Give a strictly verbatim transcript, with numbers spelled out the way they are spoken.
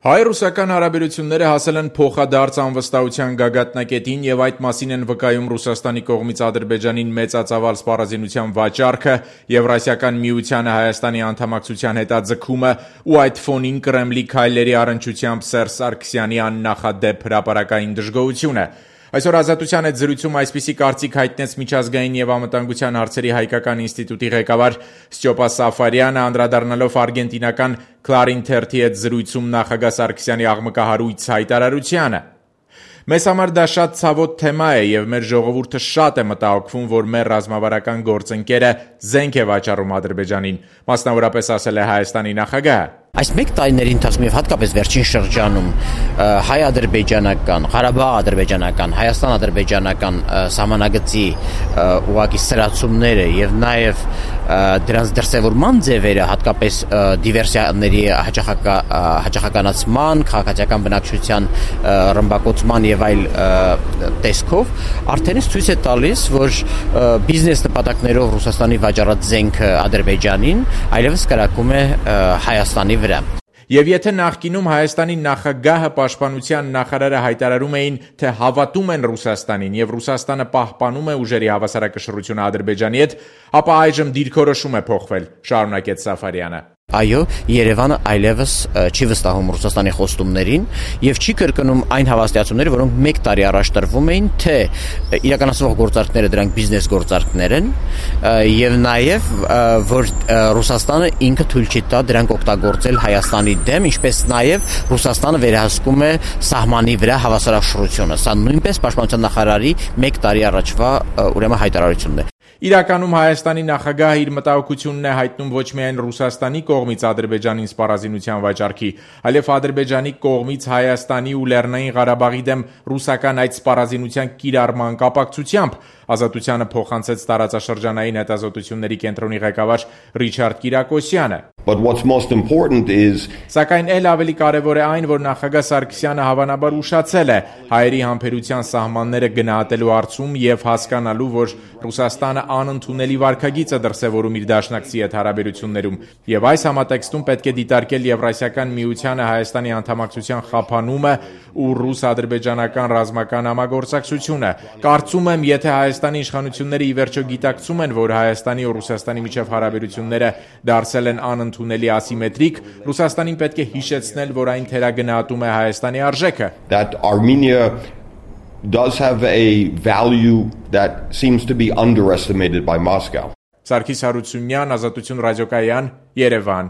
Հայ-ռուսական հարաբերությունները հասել են փոխադարձ անվստահության գագաթնակետին և այդ մասին են վկայում Ռուսաստանի կողմից Ադրբեջանին մեծածավալ սպառազինության վաճառքը, Եվրասիական միությանը Հայաստանի անդամակցության հետաձգումը ու այդ ֆոնին Կրեմլի քայլերի առնչությամբ Սերժ Սարգսյանի աննախադեպ հրապարակային դժգոհությունը։ Այսօր Ազատության հետ զրույցում այսպիսի կարծիք հայտնեց միջազգային և անվտանգության հարցերի հայկական ինստիտուտի ղեկավար Ստյոպա Սաֆարյանը, անդրադառնալով արգենտինական Clarín թերթի հետ զրույցում նախագահ Սարգսյանի աղմկահարույց հայտարարությանը։ Մեզ համար դա շատ ցավոտ թեմա է և մեր ժողովուրդը շատ է մտահոգվում, որ մեր ռազմավարական գործընկերը զենք է վաճառում Ադրբեջանին, մասնավորապես ասել է Հայաստանի նախագահը։ Այս մեկ տարիների ընթացքում եւ հատկապես վերջին շրջանում հայ-ադրբեջանական, Ղարաբաղ-ադրբեջանական, Հայաստան-ադրբեջանական սահմանագծի ուղղակի սրացումները եւ նաեւ դրանց դրսևորման ձևերը, հատկապես դիվերսիաների հաճախականացման, քաղաքացիական բնակչության ռմբակոծման եւ այլ տեսքով արդեն ցույց է տալիս, որ բիզնես նպատակներով Ռուսաստանի վաճառած զենքը Ադրբեջանին այլևս կրակում է Հայաստանի վրա։ Եվ եթե նախկինում Հայաստանի նախագահը, պաշտպանության նախարարը հայտարարում էին, թե հավատում են Ռուսաստանին եւ Ռուսաստանը պահպանում է ուժերի հավասարակշռությունը Ադրբեջանի հետ, ապա այժմ դիրքորոշում է փոխվել, շարունակեց Սաֆարյանը։ Այո, Երևանը այլևս չի վստահում Ռուսաստանի խոստումներին եւ չի կրկնում այն հավաստիացումները, որոնք մեկ տարի առաջ տրվում էին, թե իրականացվող գործարքները դրանք բիզնես գործարքներ են եւ նաեւ որ Ռուսաստանը ինքը թույլ չի տա դրանք օգտագործել Հայաստանի դեմ, ինչպես նաեւ Ռուսաստանը վերահսկում է սահմանի վրա հավասարակշռությունը։ Սա նույնպես պաշտպանության նախարարի մեկ տարի առաջվա ուրեմն հայտարարությունն է։ Իրականում Հայաստանի նախագահը իր մտահոգությունն է հայտնում ոչ միայն Ռուսաստանի կողմից Ադրբեջանին սպառազինության վաճառքի, այլև Ադրբեջանի կողմից Հայաստանի ու Լեռնային Ղարաբաղի դեմ ռուսական այդ սպառազինության կիրառման կապակցությամբ, Ազատությանը փոխանցեց տարածաշրջանային հետազոտությունների կենտրոնի ղեկավար Ռիչարդ Կիրակոսյանը։ But what's most important is Սակայն էլ ավելի կարևոր է այն, որ նախագահ Սարգսյանը հավանաբար ուշացել է հայերի համբերության սահմանները գնահատելու հարցում եւ հասկանալու, որ Ռուսաստանը անընդունելի վարքագիծ է դրսևորում իր դաշնակցի հետ հարաբերություններում, եւ այս համատեքստում պետք է դիտարկել Եվրասիական միությանը Հայաստանի անդամակցության խափանումը ու ռուս-ադրբեջանական ռազմական համագործակցությունը։ Կարծում եմ, եթե Հայաստանի իշխանությունները ի վերջո գիտակցում են, որ Հայաստանի ու Ռուսաստանի միջև հարաբերությունները դարձել են անընդունելի ասիմետրիկ, Ռուսաստանին պետք է հիշեցնել, որ այն թերագնահատում է Հայաստանի արժեքը։ That Armenia does have a value that seems to be underestimated by Moscow. Սարգիս Հարությունյան, Ազատություն ռադիոկայան, Երևան։